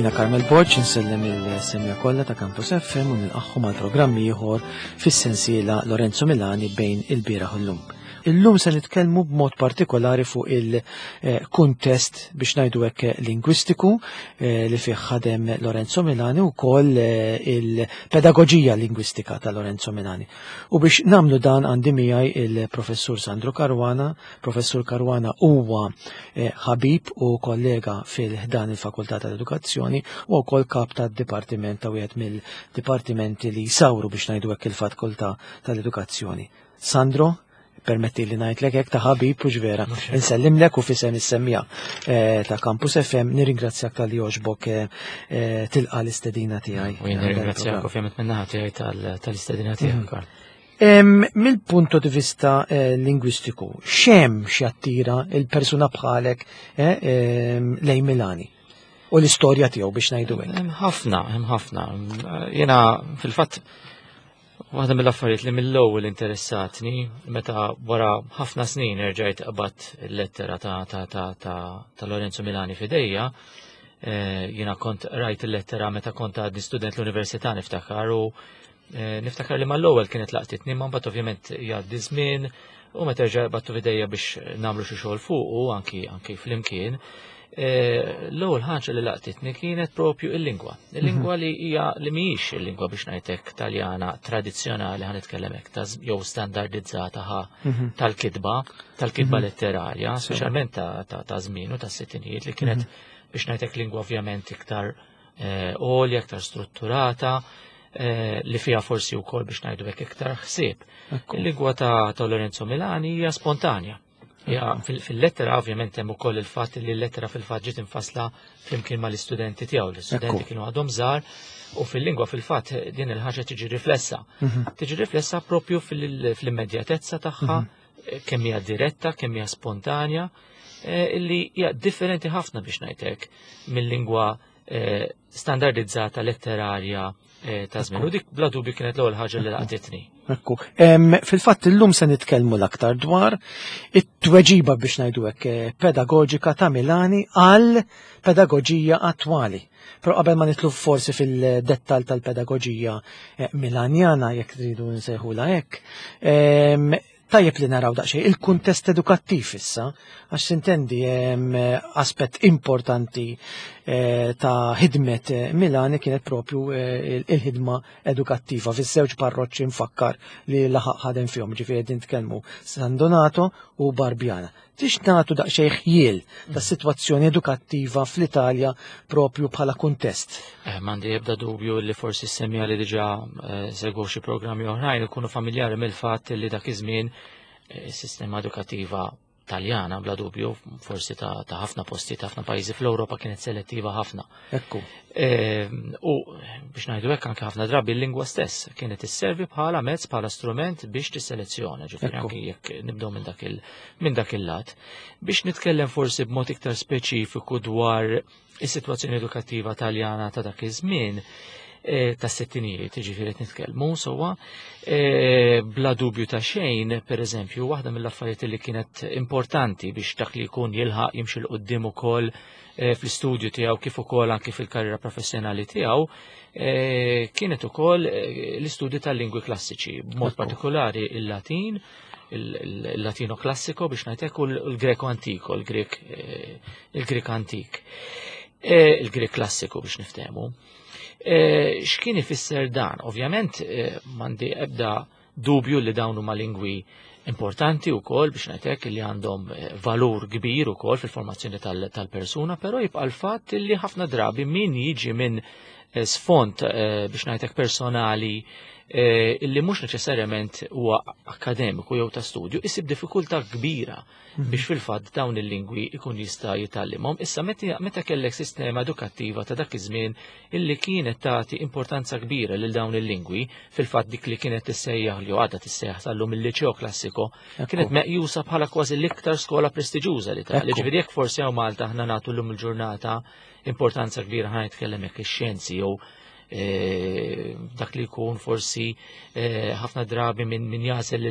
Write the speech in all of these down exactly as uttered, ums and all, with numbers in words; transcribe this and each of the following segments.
Jiena Carmel Borg insellem il-semmiegħa kollha ta' Campus F M u nilqagħhom għal programm ieħor fis-sensiela Lorenzo Milani bejn il-bieraħ u llum. Illum se nitkellmu b'mod partikolari fuq il-kuntest, biex ngħidu hekk, lingwistiku eh, li fih ħadem Lorenzo Milani u wkoll eh, il-pedagoġija lingwistika ta' Lorenzo Milani. U biex nagħmlu dan għandi miegħi il-professur Sandro Caruana. Professur Caruana huwa eh, ħabib u kollega fil-ħdan il-Fakultà tal-Edukazzjoni u wkoll kap tad-dipartiment, ta' wieħed mill-dipartimenti li jsawru, biex ngħidu hekk, il-Fakultà tal-Edukazzjoni. Sandro, permetti li ngħidlek hekk ta' ħabib u ġvera. Insellimlek u f'isem is-semmiegħa eh, ta' Campus F M nirringrazzjak talli għoġbok eh, eh, tilqa l-istedina tiegħi. U jien nirringrazzjak ovvjament min-naħa tiegħi tal-istedina tiegħek, Karl. Mill-punto di vista lingwistiku, x'hemm x'jattira il-persuna bħalek lejn Milani u l-istorja tiegħu, biex ngħidu hekk? Hemm ħafna, hemm ħafna. Jiena fil-fatt waħda mill-affarijiet li mill-ewwel interessatni meta wara ħafna snin erġajt qbadt il-lettera ta' ta' ta' ta' ta' Lorenzo Milani f'idejja, eh, jiena kont rajt il-lettera meta kont għadni student l-università, niftakar, u eh, niftakar li mal-ewwel kienet laqtitni, ma mbagħad ovvjament jgħaddi żmien u meta erġa' qbadtu f'idejja biex nagħmlu xi xogħol fuq u anki anki flimkien. Eh, l-ewwel ħaġa li laqtitni kienet propju il-lingwa. Il-lingwa li hija li mhijiex il-lingwa, biex ngħidlek, Taljana tradizzjonali, ħa nitkellem hekk, ta' jew standardizzata ħa mhm. tal-kitba, tal-kitba mhm. letterarja, speċjalment ta' żmien u ta' sittinijiet, li kienet, biex ngħidlek, lingwa ovvjament iktar eh, għolja, iktar strutturata, eh, li fiha forsi wkoll, biex ngħidu hekk, iktar ħsieb. Il-lingwa ta' Lorenzo Milani hija spontanja. Ja, fil-lettera ovvjament hemm ukoll il-fatt li l-lettera fil-fatt ġiet infasla flimkien mal-istudenti tiegħu. L-istudenti kienu għadhom żgħar u fil-lingwa fil-fatt din il-ħaġa tiġi riflessa. Mhm. Tiġi riflessa propju fil-immedjatezza tagħha, mhm. kemm hija diretta, kemm hija spontanja, eh, illi hija differenti ħafna, biex ngħidlek, mill-lingwa eh, standardizzata letterarja eh, ta' żmien. U dik bla dubju kienet l-ewwel ħaġa li laqtitni. Ekku. Fil-fatt illum se nitkellmu l-aktar dwar it-tweġiba, biex ngħidu hekk, eh, pedagoġika ta' Milani għal pedagoġija attwali. Però qabel ma nidħlu forsi fil-dettal tal-pedagoġija eh, milanjana, jekk tridu nsejħula hekk, tajjeb li naraw daqsxejn il-kuntest edukattiv issa, għax sintendi aspett importanti eh, ta' ħidmet eh, Milani kienet propju eh, il-ħidma edukattiva fiż-żewġ parroċċi, nfakkar, li laħaq ħadem fihom, ġifieri qegħdin nitkellmu San Donato u Barbiana. Tix nagħtu daqsxejn ħjiel ta' sitwazzjoni edukattiva fl-Italja propju bħala kuntest? Eh, M'għandi ebda dubju li forsi s-semmiegħa li diġà eh, segwu xi programmi oħrajn ikunu familjari mill-fatt li dak iż-żmien eh, is-sistema edukattiva Taljana, bla dubju, forsi ta' ta' ħafna posti, ta' ħafna pajjiżi fl-Ewropa, kienet selettiva ħafna. Ekku. Eh, U biex ngħidu hekk, anke ħafna drabi l-lingwa stess kienet isservi bħala mezz, bħala strument biex tisselezzjona, ġifieri Ekku. anke jekk nibdew minn dak il minn dak il-lat. Biex nitkellem forsi b'mod iktar speċifiku dwar is-sitwazzjoni edukattiva Taljana ta' dak iż-żmien, eh, ta' settinijiet, ġifieri qed nitkellmu sewwa, eh, bla dubju ta' xejn, per eżempju, waħda mill-affarijiet li kienet importanti biex dak li jkun jilħaq jimxi 'l quddiem ukoll eh, fl-istudju tiegħu kif ukoll anke fil-karriera professjonali tiegħu, eh, kienet ukoll eh, l-istudju tal-lingwi klassiċi, b'mod Ekku. partikolari il-Latin, il-Latino klassiko, biex ngħidlek, u l-Greko antiko, il-Grek eh, il-Grek antik. Eh, Il-Grek klassiku, biex niftehmu. Eh, X'kien ifisser dan? Ovvjament eh, m'għandi ebda dubju li dawn huma lingwi importanti wkoll, biex ngħidlek, li għandhom eh, valur kbir ukoll fil-formazzjoni tal- tal-persuna, però jibqa' l-fatt li ħafna drabi min jiġi minn eh, sfond eh, biex ngħidlek, personali eh, illi mhux neċessarjament huwa akademiku jew ta' studju, isib diffikultà kbira biex fil-fatt dawn il-lingwi ikun jista' jitgħallimhom. Issa meta meta kellek sistema edukattiva ta' dak iż-żmien illi kienet tagħti importanza kbira lil dawn il-lingwi, fil-fatt dik li kienet tissejjaħ, li għadha tissejjaħ sal-lum, il-liceo classico, kienet meqjusa bħala kważi l-iktar skola prestiġjuża li ta' Ekku. Ġifieri jekk forsi hawn Malta aħna nagħtu llum il-ġurnata importanza kbira, ħa nitkellem hekk, ix-xjenzi jew eh, dak li jkun forsi eh, ħafna drabi minn min jażel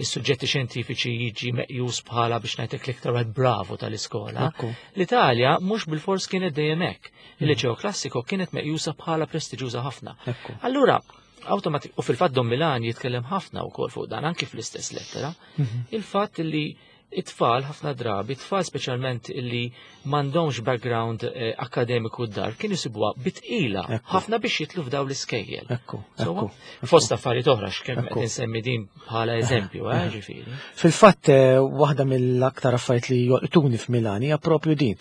is-suġġetti xjentifiċi jiġi meqjus bħala biex ngħidlek l-iktar wieħed bravu tal-iskola. Ekku. L-Italja mhux bilfors kienet dejjem hekk. Il-liceo klassiku kienet meqjusa bħala prestiġjuża ħafna. Ekku. Allura, automatik, u fil-fatt Don Milani jitkellem ħafna wkoll fuq dan, anki fl-istess lettera, Mhm. il-fatt li it-tfal ħafna drabi, it-tfal speċjalment illi m'għandhomx background eh, akademiku d-dar, kienu jsibuha bi tqila Ekku. ħafna biex jidħlu f'daw l-iskejjel. Ekku, Sewwa? ekku. Fost affarijiet oħra x'kemm Ekku. qed insemmi din bħala eżempju, eh, ġifieri. Fil-fatt, eh, waħda mill-aktar affarijiet li jolqtuni f'Milani hija propju din.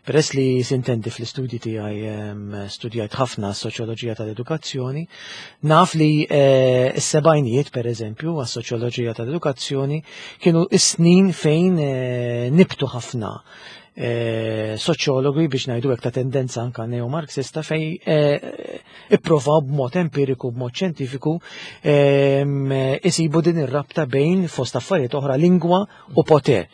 Peress li sintendi fl-istudji tiegħi em, studjajt ħafna s-soċjoloġija tal-edukazzjoni, naf li eh, s-sebgħinijiet per eżempju għas-soċjoloġija tal-edukazzjoni kienu s-snin fejn eh, nibtu ħafna eh, soċjologi biex ngħidu hekk ta' tendenza anka neomarxista fej eh, ipprovaw b'mod empiriku, b'mod xjentifiku em, isibu din ir-rabta bejn fost affarijiet oħra lingwa u poter.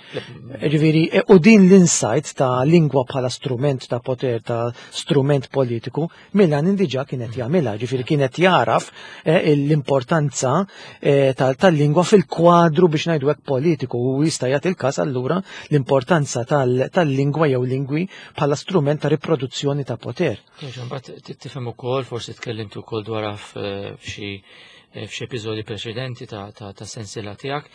Ġifieri, e, u din l-insight ta' lingwa bħala strument ta' poter, ta' strument politiku, Milani diġà kienet jagħmilha, ġifieri kienet jaraf eh, l-importanza eh, tal- tal-lingwa fil-kwadru biex ngħidu hekk politiku u jista' jagħti il-każ allura l-importanza tal- tal-lingwa jew lingwi bħala strument ta' riproduzzjoni ta' poter. Jaġa, mbagħad t- tifhem ukoll, forsi tkellimt ukoll dwarha f- f'xi f'xi episodji preċedenti ta' ta' ta' sensiela tiegħek,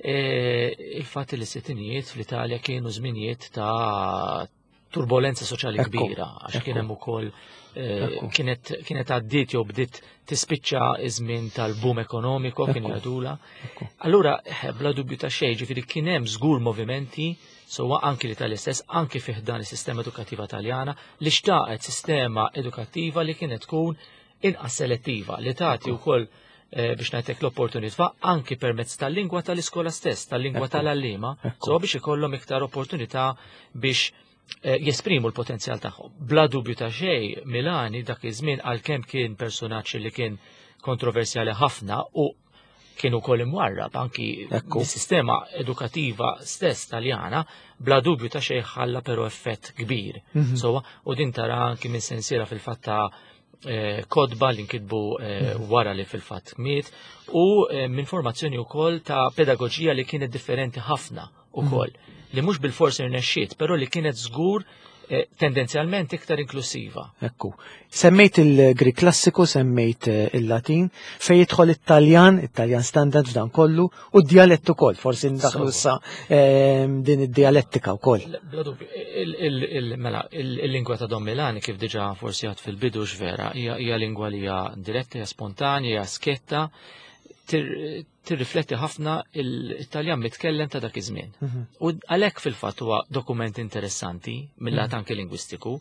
eh, il-fatt li s-sittinijiet fl-Italja kienu żminijiet ta' turbolenza soċjali Ekku, kbira, għax kien ekku. hemm ukoll eh, Ekku. kienet kienet għaddiet jew bdiet tispiċċa iż-żmien tal-boom ekonomiku kien Ekku. jgħidula. Ekku. Allura, eh, bla dubju ta' xejn, ġifieri kien hemm żgur movimenti sewwa anki l-Italja stess, anki fih dan is-sistema edukattiva Taljana, li xtaqet sistema edukattiva li kienet tkun inqas selettiva, li tagħti wkoll eh, biex ngħidlek l-opportunità anki permezz tal-lingwa tal-iskola stess, tal-lingwa Ekku. tal-għalliema, Ekku. so biex ikollhom iktar opportunità biex eh, jesprimu l-potenzjal tagħhom. Bla dubju ta' xejn, Milani dak iż-żmien għalkemm kien personaġġ li kien kontroversjali ħafna u kien ukoll imwarrab anki Ekku. mis-sistema edukativa stess taljana, bla dubju ta' xejn ħalla però effett kbir. Mhm. Sewwa, u din tara anki minn sensiela fil-fatt ta' eh, kotba li nkitbu eh, wara li fil-fatt miet u eh, minn formazzjoni wkoll ta' pedagoġija li kienet differenti ħafna ukoll li mhux bil-forsi rnexxiet, però li kienet żgur eh, tendenzjalment iktar inklusiva. Ekku. Semmejt il-Grik klassiku, semmejt eh, il-Latin, fej jidħol it-Taljan, it-Taljan standard f'dan kollu, u d-dialett ukoll, forsi ndaħlu issa ehm, din id-dialettika wkoll. Bla dubju, il- il- il- mela, il- il-lingwa ta' Don Milani kif diġà forsi għedt fil-bidu x'vera, hija hija lingwa li hija diretta, hija spontanja, hija sketta, tir- tirrifletti ħafna il-Italjan mitkellem ta' dak iż-żmien. Mhm. U għalhekk fil-fatt huwa dokument interessanti mill-lat anke lingwistiku,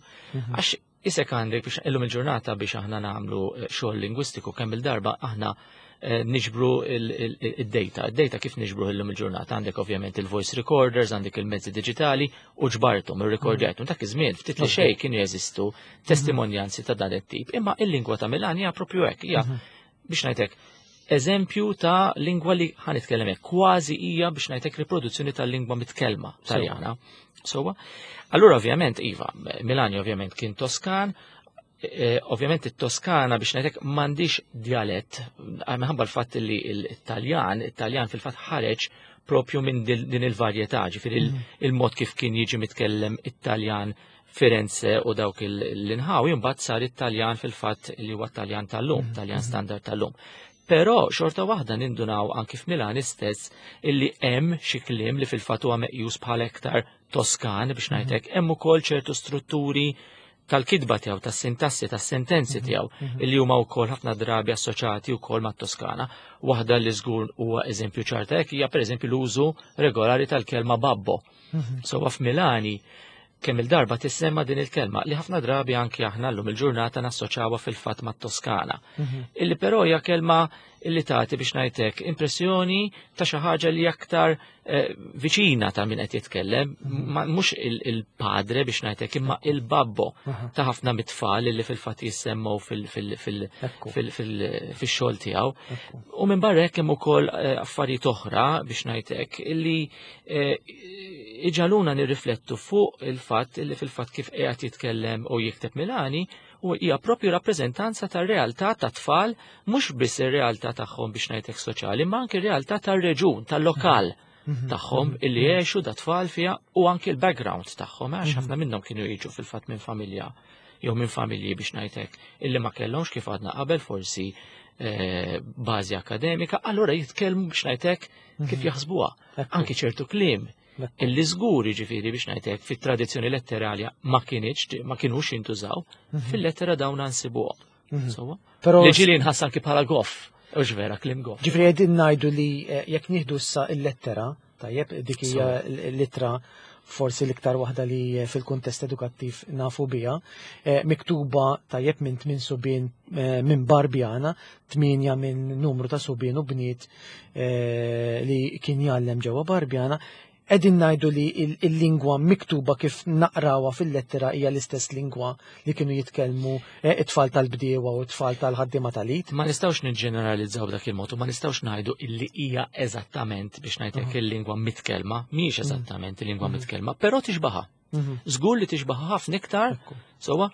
għax isek għandek biex illum il-ġurnata biex aħna nagħmlu eh, xogħol lingwistiku kemm il-darba aħna eh, niġbru il-data. Il-data kif niġbru illum il-ġurnata? Għandek ovvjament il-voice recorders, għandek il-mezzi digitali u ġbartum, ir-rekordjajtum. Dak iż-żmien ftit li xejn kienu jeżistu testimonjanzi ta' dan it-tip. Imma il-lingwa ta' Milani hija propju hekk, hija biex ngħidlek eżempju ta' lingwa li ħa nitkellem hekk, kważi hija biex ngħidlek riproduzzjoni tal-lingwa mitkellma Taljana. Sewwa. Allura ovvjament iva, Milani ovvjament kien Toskan, eh, ovvjament it-Toskana biex ngħidlek m'għandix dialett, minħabba l-fatt li l-Taljan, it-Taljan fil-fatt ħareġ propju minn din il-varjetà, ġifieri il-mod kif kien jiġi mitkellem it-Taljan Firenze u dawk l-inħawi, mbagħad sar it-Taljan fil-fatt li huwa Taljan tal-lum, Taljan standard tal-lum. Però xorta waħda nindunaw anki f'Milan istess illi hemm xi kliem li fil-fatt huwa meqjus bħala iktar Toskan biex ngħidlek hemm ukoll ċertu strutturi tal-kitba tiegħu, tas-sintassi, tas-sentenzi tiegħu illi huma wkoll ħafna drabi assoċjati wkoll mat-Toskana. Waħda li żgur huwa eżempju ċarta hekk hija pereżempju l-użu regolari tal-kelma babbo. Sewwa f'Milani kemm il-darba tissemma din il-kelma li ħafna drabi anki aħna llum il-ġurnata nassoċjawha fil-fatt mat-Toskana. Illi però hija kelma illi tagħti biex ngħidlek impressjoni ta' xi ħaġa li aktar eh, viċina ta' min qed jitkellem, mhux il-padre biex ngħidlek imma il-babbo ta' ħafna mit-tfal illi fil-fatt jissemmew fil-xogħol tiegħu. U minn barra hekk hemm ukoll eh, affarijiet oħra biex ngħidlek illi eh, iġagħluna nirriflettu fuq il-fatt illi fil-fatt kif qiegħed jitkellem u jikteb Milani U hija propju rappreżentanza tar-realtà ta' tfal, mhux biss ir-realtà tagħhom biex ngħidlek soċjali, ma anke r-realtà tar-reġun, tal-lokal tagħhom illi jgħixu da tfal fiha u anke l-background tagħhom, għax ħafna minnhom kienu jiġu fil-fatt minn familja jew minn familji biex ngħidlek illi ma kellhomx kif għadna qabel forsi eh, bażi akademika, allura jitkellmu biex ngħidlek kif jaħsbuha. Anke ċertu kliem illi żgur jiġifieri biex ngħidlek fit-tradizzjoni letterarja ma kienx ma kinux jintużaw, fil-lettera dawn nsibuhom. Sewwa? Però Li ġieli nħass anki bħala goff, u vera kliem goff. Ġifieri qegħdin ngħidu li eh, jekk nieħdu issa il-lettera, tajjeb, dik hija l-ittra forsi l-iktar waħda li eh, fil-kuntest edukattiv nafu biha, eh, miktuba tajjeb minn tmien subien eh, minn Barbjana, tminja minn numru ta' subien u bniet eh, li kien jgħallem ġewwa Barbjana, qegħdin ngħidu li il- il-lingwa miktuba kif naqrawha fil-lettera hija l-istess lingwa li kienu jitkellmu eh, it-tfal tal-bdiewa u t-tfal tal-ħaddiema tal-id. Ma nistgħux niġġeneralizzaw b'dak il-mod u ma nistgħux ngħidu illi hija eżattament biex ngħidlek il-lingwa mitkellma, mhijiex eżattament il-lingwa mitkellma, però tixbaha. Żgur li tixbaha ħafna iktar, sewwa,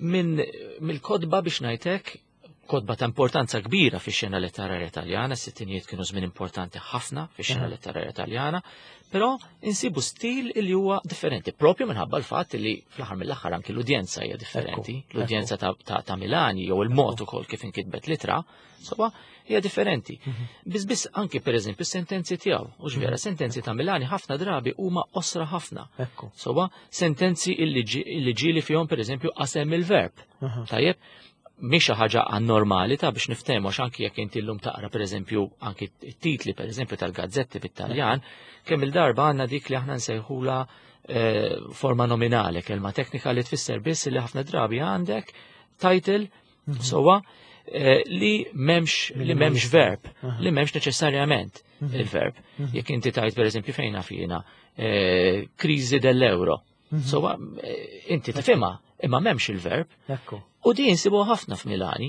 minn mill-kotba biex ngħidlek kotba ta' importanza kbira fix-xena letterarja Taljana, s-sittinijiet kienu żmien importanti ħafna fix-xena letterarja Taljana, però insibu stil li huwa differenti, propju minħabba l-fatt li fl-aħħar mill-aħħar anki l-udjenza hija differenti, Ekku, l-udjenza ta', ta, ta' Milani jew il-mod ukoll kif inkitbet l-ittra, sewwa hija differenti. Biss biss anki pereżempju s-sentenzi tiegħu, u vera sentenzi ta' Milani ħafna drabi huma qosra ħafna. Ekku. Sewwa, sentenzi illi ġi- illi ġieli fihom pereżempju qasem il-verb. Tajjeb, mhix xi ħaġa anormali ta' biex niftehmu għax anki jekk inti llum taqra pereżempju anki t-titli pereżempju tal-gazzetti bit-Taljan, kemm il-darba għandna dik li aħna nsejħula eh, forma nominale, kelma teknika li tfisser biss li ħafna drabi għandek title sewwa eh, li m'hemmx li m'hemmx verb, li m'hemmx neċessarjament il-verb. Jekk inti tajt pereżempju fejna fina eh, kriżi dell'euro. Sewwa eh, inti tifhimha, imma m'hemmx il-verb. Ekku. U din insibu ħafna f'Milani,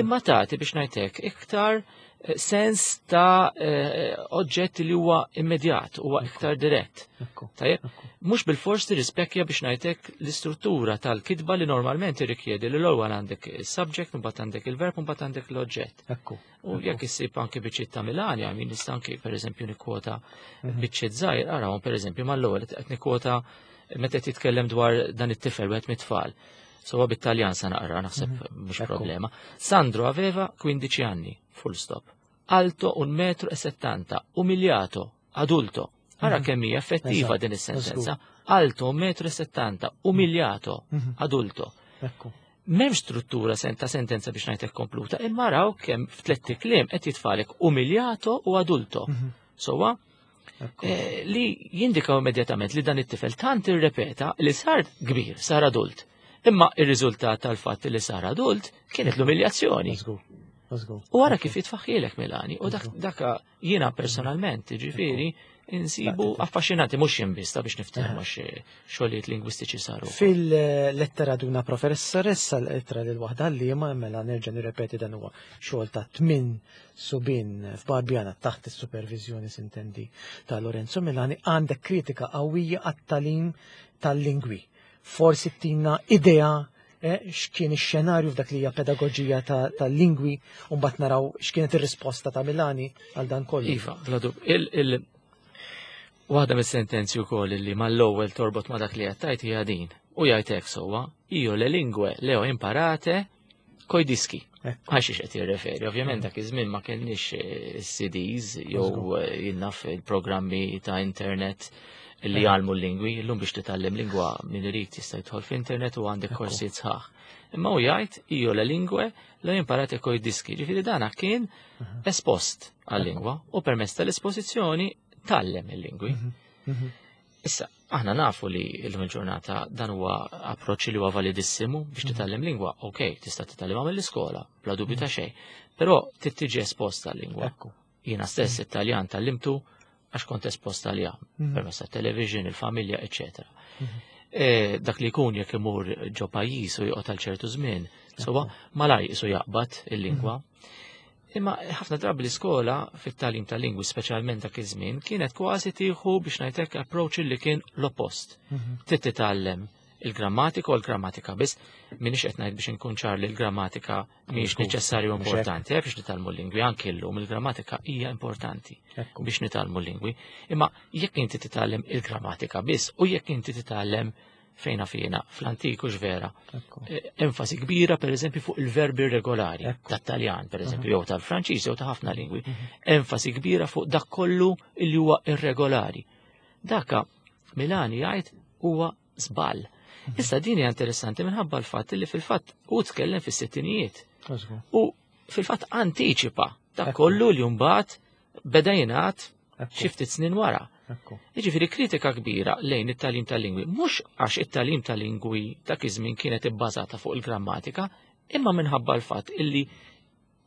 imma tagħti biex ngħidlek iktar eh, sens ta' eh, oġġett li huwa immedjat, huwa iktar dirett. Ekku. Tajjeb, mhux bil-fors tirrispekkja biex ngħidlek l-istruttura tal-kitba li normalment irrikjedi li l-ewwel għandek il-subject, mbagħad għandek il-verb, mbagħad għandek l-oġġett. Ekku. U jekk issib anke biċċiet ta' Milani, għamin nista' anke pereżempju nikkwota biċċiet żgħir, arawhom pereżempju mal-ewwel qed nikkwota meta qed jitkellem dwar dan it-tifel wieħed mit-tfal. Sewwa bit-Taljan sa naqra naħseb mhux Ekku. problema. Sandro aveva quindici anni, full stop. Alto un metro e settanta, umiliato, adulto. Ara kemm hija effettiva Eżatt, din is-sentenza. Alto un metro e settanta, umiliato, adulto. Ekku. M'hemmx struttura sen ta' sentenza biex ngħidlek kompluta, imma raw kemm f'tlett kliem qed jitfalek umiliato u adulto. Sewwa, Ekku. eh, li jindikaw immedjatament li dan it-tifel tant irrepeta li sar kbir, sar adult. Imma ir-riżultat tal-fatt li sar adult kienet l-umiljazzjoni. Żgur. Żgur. U għara kif jitfaħħielek Milani, u dak daka jiena personalment, ġifieri, insibu affaxxinanti, mhux jien biss ta' biex niftehmu għax xogħlijiet lingwistiċi saru. Fil-lettera ad una professoressa, l-ittra lil waħda għalliema, mela nerġa' nirrepeti dan huwa xogħol ta' tmien subien f'Barbjana taħt is-supervizjoni sintendi ta' Lorenzo Milani, għandek kritika qawwija għat-tagħlim tal-lingwi. Forsi tina idea eh, x'kien ix-xenarju f'dak li hija pedagoġija ta- tal-lingwi u mbagħad naraw x'kienet ir-risposta ta' Milani għal dan kollu. Iva, bla dub. Il, il, waħda mis-sentenzi wkoll li mal-ewwel torbot ma' dak li qed tgħid hija din. U jgħid hekk sewwa, io le lingue le ho imparate coi dischi. Ekku. Għax qed jirreferi, ovvjament dak iż-żmien ma kellniex eh, C Ds jew eh, jinnaf il-programmi ta' internet li jgħallmu l-lingwi, illum biex titgħallem lingwa min irid jista' jidħol f'internet u għandek korsijiet sħaħ. Imma hu jgħid io le lingue le ho imparate coi dischi, ġifieri dana kien espost għal-lingwa u permezz tal-espożizzjoni tgħallem il-lingwi. Mhm. Issa, aħna nafu li l-lum il-ġurnata dan huwa approċċ li huwa validissimu biex titgħallem lingwa. Ok, tista' titgħallimha mill-iskola, bla dubju ta' xejn. Però trid tiġi esposta għal-lingwa. Ekku. Jiena stess Italjan tgħallimtu għax kont esposta għaliha Mhm. permezz tat-television, il-familja, eċetera. E, dak li jkun jekk imur ġo pajjiż u joqgħod għal ċertu żmien, sewwa malaj isu jaqbad il-lingwa. Imma ħafna drabi l-iskola fit-tagħlim tal-lingwi, speċjalment dak iż-żmien, kienet kważi tieħu biex ngħidlek approach li kien l-oppost. Mhm. Trid titgħallem Il-grammatika u l-grammatika biss, minix qed ngħid biex inkun ċar li l-grammatika mhijiex Żgur, neċessarju mhux hekk. importanti, eh, biex nitgħallmu l-lingwi, anke llum il-grammatika hija importanti Ekku. biex nitgħallmu l-lingwi. Imma jekk inti titgħallem il-grammatika biss u jekk inti titgħallem fejna fina fl-antiku x'vera, Ekku. eh, enfasi kbira per eżempju fuq il-verbi regolari Ekku. tat-Taljan per eżempju jew tal-Franċiż jew ta' ħafna lingwi. Mhm. Enfasi kbira fuq dak kollu li huwa irregolari. Daka Milani jgħid huwa żball. Issa din hija interessanti minħabba l-fatt li fil-fatt hu tkellem fis-sittinijiet Żgur. u fil-fatt antiċipa dak Ekku. kollu li mbagħad beda jingħad Ekku. xi ftit snin wara. Ekku. Jiġifieri kritika kbira lejn it-tagħlim tal-lingwi, mhux għax it-tagħlim tal-lingwi dak iż-żmien kienet ibbażata fuq il-grammatika, imma minħabba l-fatt illi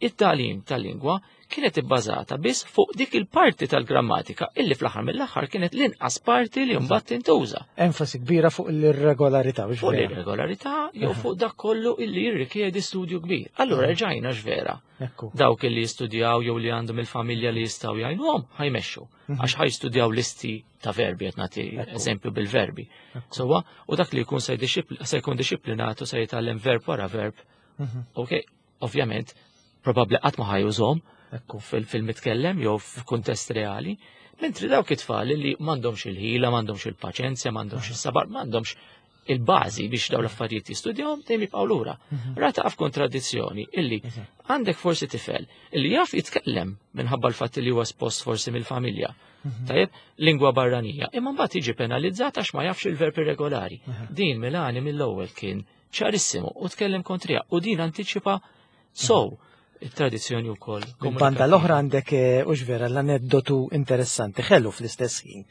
it-tagħlim tal-lingwa kienet ibbażata biss fuq dik il-parti tal-grammatika illi fl-aħħar mill-aħħar kienet l-inqas parti li mbagħad tintuża. Enfasi kbira fuq l-irregolarità, biex Fuq vera. l-irregolarità jew fuq dak kollu illi jirrikjedi studju kbir. Allura rġajna x'vera. Ekku. Dawk illi jistudjaw jew li għandhom il-familja li jistgħu jgħinuhom ħa jmexxu. Għax ħa jistudjaw listi ta' verbi qed nagħti Ekku. eżempju bil-verbi. Ekku. Sewwa, u dak li jkun se jdixxipl- se jkun dixxiplinatu se jitgħallem verb wara verb. Mhm. Ok, ovvjament, probabbli qatt ma ħa jużahom Ekku. fil- fil-mitkellem jew f'kuntest reali, mentri dawk it-tfal li m'għandhomx il-ħila, m'għandhomx il-paċenzja, m'għandhomx is-sabar, m'għandhomx il-bażi biex dawn l-affarijiet jistudjawhom dejjem jibqgħu lura. Rata f'kontradizzjoni illi Eżatt. għandek forsi tifel illi jaf jitkellem minħabba l-fatt li huwa espost forsi mill-familja. Tajjeb, lingwa barranija, imma mbagħad jiġi penalizzat għax ma jafx il-verb irregolari. Din Milani mill-ewwel kien ċarissimu u tkellem kontrija u din antiċipa sow it-tradizzjoni wkoll. Banda l-oħra għandek eh, ux vera l-aneddotu interessanti, ħelu fl-istess ħin,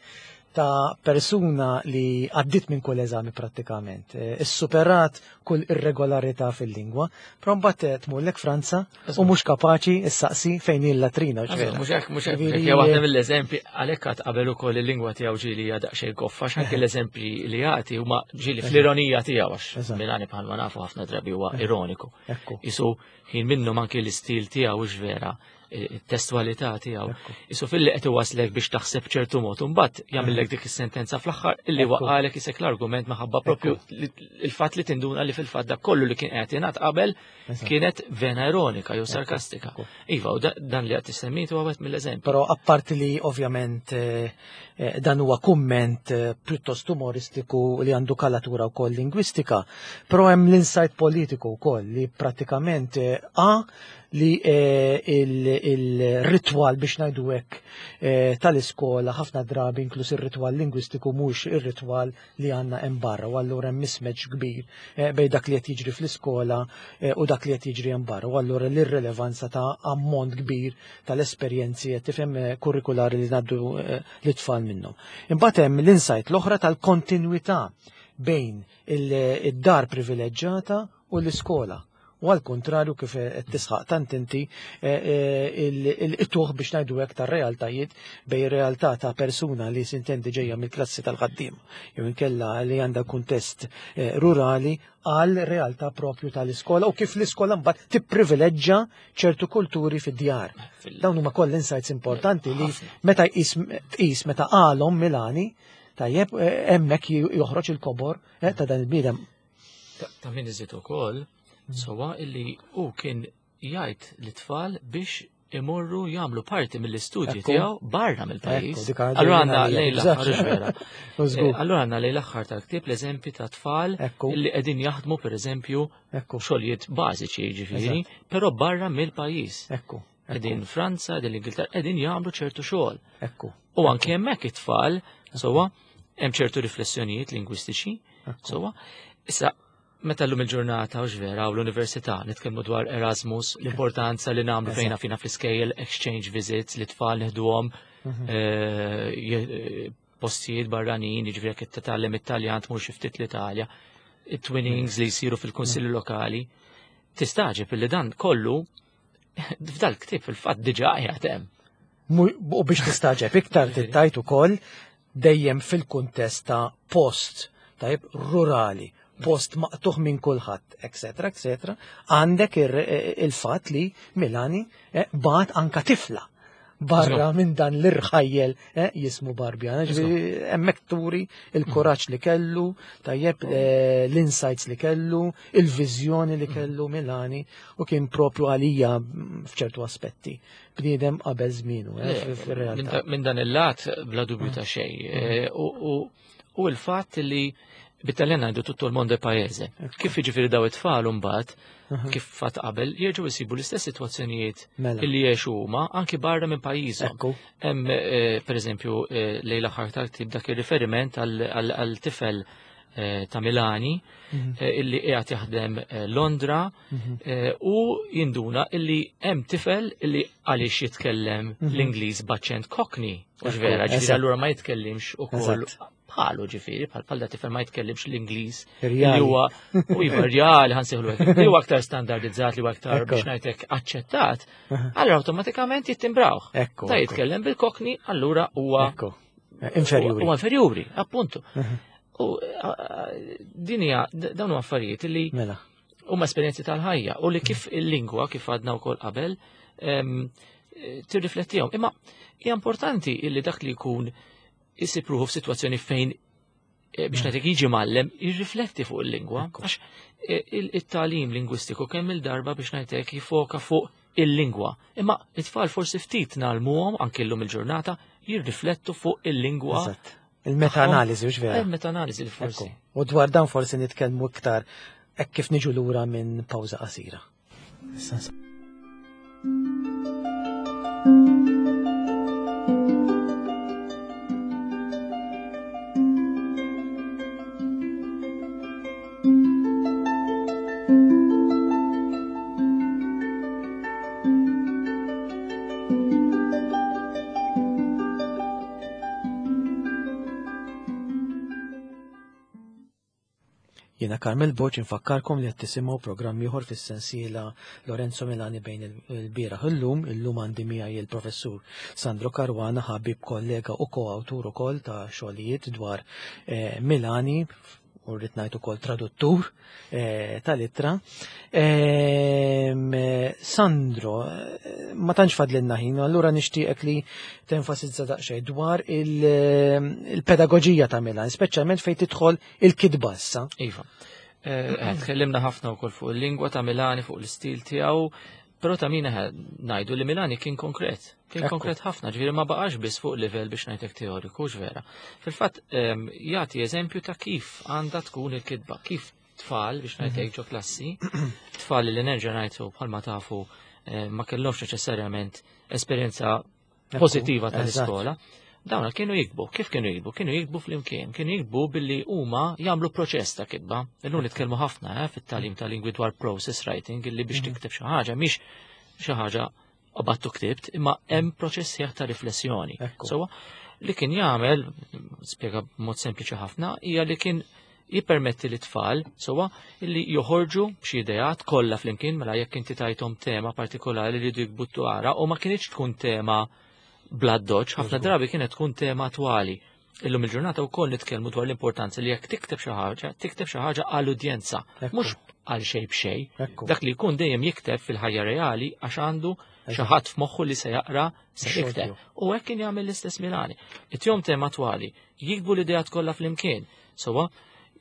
ta' persuna li għaddit minn kull eżami prattikament, eh, issuperat kull irregolarità fil-lingwa, però mbagħad eh, tmurlek Franza u mhux kapaċi issaqsi fejn hi l-latrina. ux vera. Mhux hekk, mhux hekk, Ġifieri, hekk, waħda mill-eżempji għalhekk għad qabel ukoll il-lingwa tiegħu ġieli hija daqsxejn goffa għax anke l-eżempji li jagħti huma ġieli fl-ironija tiegħu għax Eżatt. Milani bħalma nafu ħafna drabi huwa ironiku. Ekku. Isu ħin minnhom anke l-istil tiegħu hux vera, it-testualità tiegħu. Ekku. Isu filli qed iwaslek biex taħseb ċertu mod, u mbagħad jagħmellek dik is-sentenza fl-aħħar illi Ekku. waqalek isek l-argument minħabba propju li- il-fatt li tinduna li fil-fatt dak kollu li kien qed jingħad qabel Eżatt. kienet vena ironika jew sarkastika. Ekku. Iva, u da- dan li qed tissemmitu huwa wieħed mill-eżempji. Però apparti li ovvjament eh, eh, dan huwa kumment eh, pjuttost umoristiku li għandu kalatura wkoll lingwistika, però hemm l-insight politiku wkoll li prattikament eh, a li eh, il- il-ritwal biex ngħidu hekk eh, tal-iskola ħafna drabi inkluż ir-ritwal lingwistiku mhux ir-ritwal li għandna hemm barra u allura hemm mismatch kbir eh, bejn dak li qed jiġri fl-iskola eh, u dak li qed jiġri hemm barra u allura l-irrelevanza ta' ammont kbir tal-esperjenzi qed tifhem eh, kurrikulari li ngħaddu eh, l-tfal minnhom. Imbagħad hemm l-insight l-oħra tal-kontinwità bejn il- id-dar privileġġata u l-iskola. U għal kontrarju kif qed tisħaq tant inti eh, eh, il-tuħ biex ngħidu hekk tar-realtajiet bejn realtà ta' persuna li sintendi ġejja mill-klassi tal-ħaddiem jew inkella li għandha kuntest eh, rurali għal realtà propju tal-iskola u kif l-iskola mbagħad tipprivileġġa ċertu kulturi fid-djar. Fil- Dawn huma koll insights importanti li Ħafna. meta jqis tqis meta qalhom Milani tajjeb eh, hemmhekk joħroġ il-kobor eh, ta' dan il-bniedem. Ta' ta' min iżid ukoll sewwa illi hu kien jgħid lit-tfal biex imorru jagħmlu parti mill-istudji Ekku. tiegħu barra mill-pajjiż. Ekku, dik għadha Allura għandna għalija, lejn l-aħħar eżatt. vera. U żgur. Eh, Allura għandna lejn l-aħħar tal-ktieb l-eżempji ta' tfal Ekku. illi qegħdin jaħdmu pereżempju Ekku, xogħlijiet bażiċi jiġifieri, però barra mill-pajjiż. ekku, Qegħdin Franza, qegħdin l-Ingilterra, qegħdin jagħmlu ċertu xogħol. ekku. U anke hemmhekk it-tfal, sewwa, hemm ċertu riflessjonijiet lingwistiċi, Ekku. sewwa. Issa, meta llum il-ġurnata u vera u l-università nitkellmu dwar Erasmus, l-importanza li nagħmlu fejna fina fl-iskejjel exchange visits li tfal neħduhom Mhm. eh, je- eh, postijiet barranin, jiġifieri jekk titgħallem Italjan tmur xi ftit l-Italja, it-twinnings li jsiru fil-kunsilli lokali. Tistagħġeb illi dan kollu f'dal ktieb fil-fatt diġà qiegħed hemm. Mu- U biex tistaġeb iktar tittajt ukoll dejjem fil-kuntest ta' post, tajb, rurali, post maqtuħ minn kulħadd, eccetera, eccetera, għandek ir- il-fatt li Milani eh, bagħat anka tifla barra minn dan l-irħajjel jismu Barbjana. Ġifieri hemmhekk turi il-kuraġġ li kellu, tajjeb l-insights li kellu, il-viżjoni li kellu Milani, u kien propju għalija f'ċertu aspetti bniedem qabel żmienu fir-realtà. Minn dan il-lat bla dubju ta' xejn. U l-fatt li bit-Taljan għandu tutto il mondo paese. Kif jiġifieri daw it-tfal imbagħad, kif fatt qabel, jerġgħu jsibu l-istess sitwazzjonijiet illi jgħixu huma anki barra minn pajjiżhom. Hemm pereżempju lejn l-aħħar tal-ktieb dak ir-riferiment għal tifel ta' Milani illi qiegħed jaħdem Londra u jinduna illi hemm tifel illi għaliex jitkellem l-Ingliż b'aċċent Cockney. Mhux vera, ġifieri allura ma jitkellimx ukoll bħalu ġifieri, bħal bħal da tifel ma jitkellimx l-Ingliż li huwa u iva reali ħansejħlu hekk, li huwa aktar standardizzat, li huwa aktar biex ngħidlek aċċettat, allura awtomatikament jittimbrawh. Ta' jitkellem bil-Cockney, allura huwa inferjuri. Huwa inferjuri, appuntu. U din hija dawn huma affarijiet li huma esperjenzi tal-ħajja u li kif il-lingwa kif għadna wkoll qabel tirriflettihom. Imma hija importanti illi dak li jkun isib ruħu f'sitwazzjoni fejn biex ngħidlek jiġi mgħallem jirrifletti fuq il-lingwa, għax it-tagħlim lingwistiku kemm il-darba biex ngħidlek jifoka fuq il-lingwa. Imma it-tfal forsi ftit ngħallmuhom anke llum il-ġurnata jirriflettu fuq il-lingwa. Il-meta-analiżi, mhux vera? Il-meta-analiżi li forsi. U dwar dan forsi nitkellmu iktar hekk kif niġu lura minn pawża qasira. Jiena Carmel Borg infakkarkom li qed tisimgħu programm ieħor fis-sensiela Lorenzo Milani bejn il-bieraħ illum. Illum għandi miegħi il-professur Sandro Caruana, ħabib kollega u koawtur ukoll ta' xogħlijiet dwar Milani, u rrid ngħid ukoll traduttur tal-ittra. Sandro, ma tantx fadlilna ħin, allura nixtieqek li tenfasizza daqsxejn dwar il-pedagoġija ta' Milani, speċjalment fejn tidħol il-kitba issa. Iva. Tkellimna ħafna wkoll fuq il-lingwa ta' Milani, fuq l-istil tiegħu, però ta' min ngħidu li Milani kien konkret. Kien konkret ħafna, ġifieri ma baqax biss fuq livell biex ngħidlek teoriku, vera. Fil-fatt jagħti eżempju ta' kif għandha tkun il-kitba, kif tfal biex ngħidlek ġo klassi, tfal li nerġa' ngħidu bħalma tafu ma kellhomx neċessarjament esperjenza pożittiva tal-iskola. Dawna kienu jikbu, kif kienu jikbu? Kienu jikbu flimkien, kienu jikbu billi huma jagħmlu proċess ta' kitba. Illum nitkellmu ħafna fit-tagħlim ta' lingwi dwar process writing, illi biex tikteb xi ħaġa mhix xi ħaġa qabattu ktibt, imma hemm proċess ħieħ ta' riflessjoni. Sewwa, li kien jagħmel, spjega b'mod sempliċi ħafna, hija li kien jippermetti li tfal sewwa illi joħorġu b'xi ideat kollha flimkien, mela jekk inti tajthom tema partikolari li jridu jikbu dwarha, u ma kinitx tkun tema bla doċ, ħafna drabi kienet tkun tema attwali. Illum il-ġurnata wkoll nitkellmu dwar l-importanza li jekk tikteb xi ħaġa, tikteb xi ħaġa għall-udjenza, mhux għal xejn b'xejn. Dak li jkun dejjem jikteb fil-ħajja reali għax għandu xi ħadd f'moħħu li se jaqra se jikteb. U hekk kien jagħmel l-istess Milani. It-jom tema attwali, jikbu l-ideat kollha flimkien. Sewwa,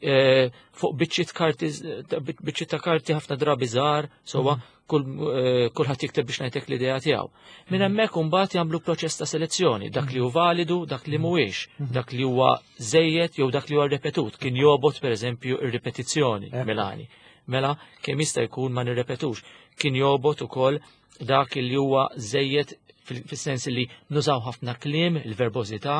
fuq biċċiet karti, biċċiet ta' karti ħafna drabi żgħar, sewwa, kulħadd jikteb biex ngħidlek l-idea tiegħu. Minn hemmhekk imbagħad jagħmlu proċess ta' selezzjoni, dak li hu validu, dak li mhuwiex, dak li huwa żejjed jew dak li huwa ripetut. Kien jobgħod pereżempju r-ripetizzjoni Milani. Mela kemm jista' jkun ma nirrepetux. Kien jobgħod ukoll dak li huwa żejjed fis-sens li nużaw ħafna kliem, il-verbożità,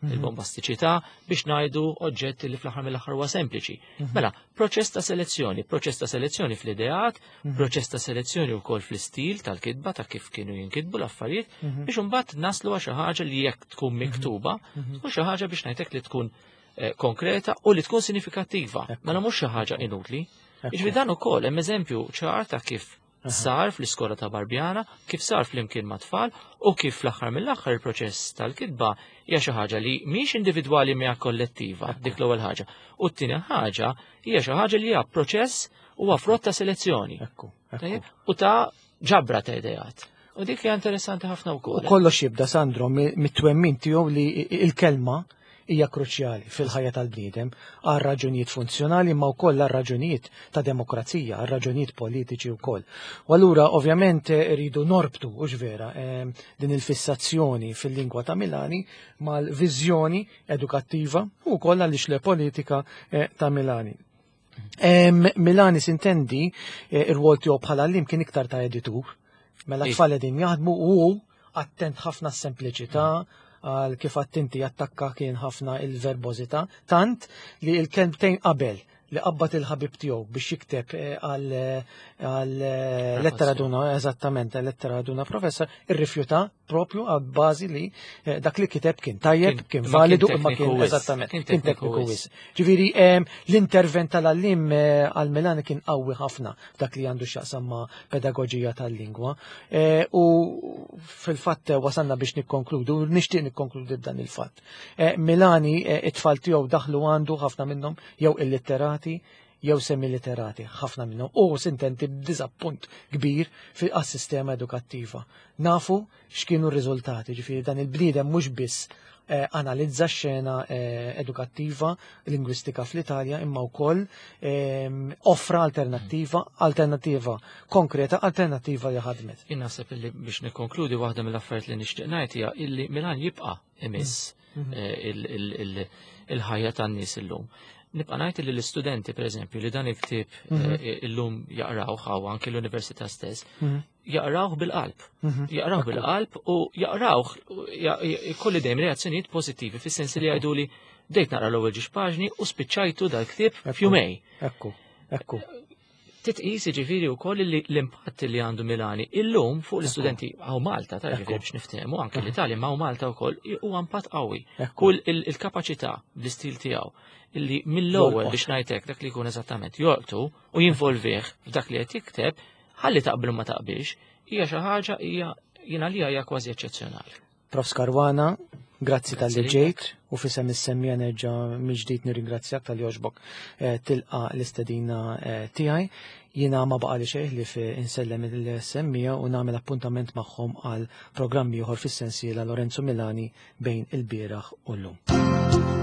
il-bombastiċità, biex ngħidu oġġetti li fl-aħħar mill-aħħar huwa sempliċi. Mela, proċess ta' selezzjoni, proċess ta' selezzjoni fl-ideat, proċess ta' selezzjoni wkoll fl-istil tal-kitba ta' kif kienu jinkitbu l-affarijiet, biex imbagħad naslu għal xi ħaġa li jekk tkun miktuba, tkun xi ħaġa biex ngħidlek li tkun konkreta u li tkun sinifikattiva. Mela mhux xi ħaġa inutli. Jiġifieri dan ukoll hemm eżempju ċar ta' kif sar fl-iskola ta' Barbjana, kif sar flimkien ma' tfal, u kif fl-aħħar mill-aħħar il-proċess tal-kitba hija xi ħaġa li mhix individwali mija kollettiva, dik l-ewwel ħaġa. U t-tieni ħaġa hija xi ħaġa li hija proċess u frott ta' selezzjoni. U ta' ġabra ta' ideat. U dik hija interessanti ħafna U wkoll. kollox jibda, Sandro, mi- mit-twemmin tiegħu li il-kelma hija kruċjali fil-ħajja tal-bniedem għal raġunijiet funzjonali, ma wkoll għal raġunijiet ta' demokrazija, għal raġunijiet politiċi wkoll. U allura ovvjament eh, rridu norbtu, u vera, eh, din il-fissazzjoni fil-lingwa ta' Milani mal-viżjoni edukattiva u wkoll għaliex le politika eh, ta' Milani. Em, Milani sintendi eh, ir-rwol tiegħu bħala għalliem kien iktar ta' editur. Mela Iva. tfal qegħdin jaħdmu u attent ħafna s-sempliċità, għal kif attenti jattakka kien ħafna il-verbożità, tant li il-kelmtejn qabel li qabbat il-ħabib tiegħu biex jikteb eh, għal għal eh, lettera d'una, eżattament, lettera d'una professor, irrifjuta propju għal bażi li eh, dak li kiteb kien tajjeb, Kien- kien ma kien validu, imma tekniku kien wisq. eżattament, Kien kien tekniku tekniku wisq. wisq. Ġifieri em, l-intervent tal-għallim eh, għal Milani kien qawwi ħafna dak li għandu x'jaqsam ma' pedagoġija tal-lingwa. Eh, U fil-fatt eh, wasalna biex nikkonkludu, nixtieq nikkonkludi b'dan il-fatt. Eh, Milani eh, it-tfal tiegħu daħlu għandu ħafna minnhom jew illitterati jew semiliterati, ħafna minnhom. U sintenti b'diżappunt kbir fil-sistema edukattiva. Nafu x'kienu r-riżultati, ġifieri dan il-bniedem mhux biss eh, analizza x-xena eh, edukattiva, lingwistika fl-Italja, imma wkoll ehm, offra alternattiva, alternattiva konkreta, alternattiva li ħadmet. Jien naħseb illi biex nikkonkludi, waħda mill-affarijiet li nixtieq ngħid hija illi Milan jibqa' imiss eh, il- il- il- il-ħajja tan-nies illum. Nibqa' ngħid li l-istudenti, pereżempju, li dan il-ktieb eh, illum jaqrawh hawn anke l-università stess, jaqrawh bil-qalb. Jaqrawh bil-qalb u jaqrawh ikolli dejjem reazzjonijiet pożittivi, fis-sens li jgħidu li bdejt naqra l-ewwel ġiex paġni u spiċċajtu dal-ktieb f'jumejn. Ekku, ekku. Titqis ġifieri wkoll li l-impatt li għandu Milani illum fuq l-istudenti hawn Malta, ta' ġifieri biex niftehmu anke l-Italja, ma' Malta wkoll huwa impatt qawwi. Ekku. U l- il-kapaċità bl-istil tiegħu illi mill-ewwel, Jolqot. biex ngħidlek, dak li jkun eżattament jolqtu u jinvolvih f'dak li qed jikteb, ħalli taqbel u ma taqbilx, hija xi ħaġa hija jiena li hija kważi eċċezzjonali. Profs Caruana, grazzi tal-li Grazzi ġejt u fisem is-semmiegħa nerġa' mill-ġdid nirringrazzjak talli għoġbok eh, tilqa l-istedina eh, tiegħi. Jiena ma baqa li xejn ħlief insellem il-semmiegħa u nagħmel appuntament magħhom għal programmi ieħor fis-sensiela Lorenzo Milani bejn il-bieraħ u llum.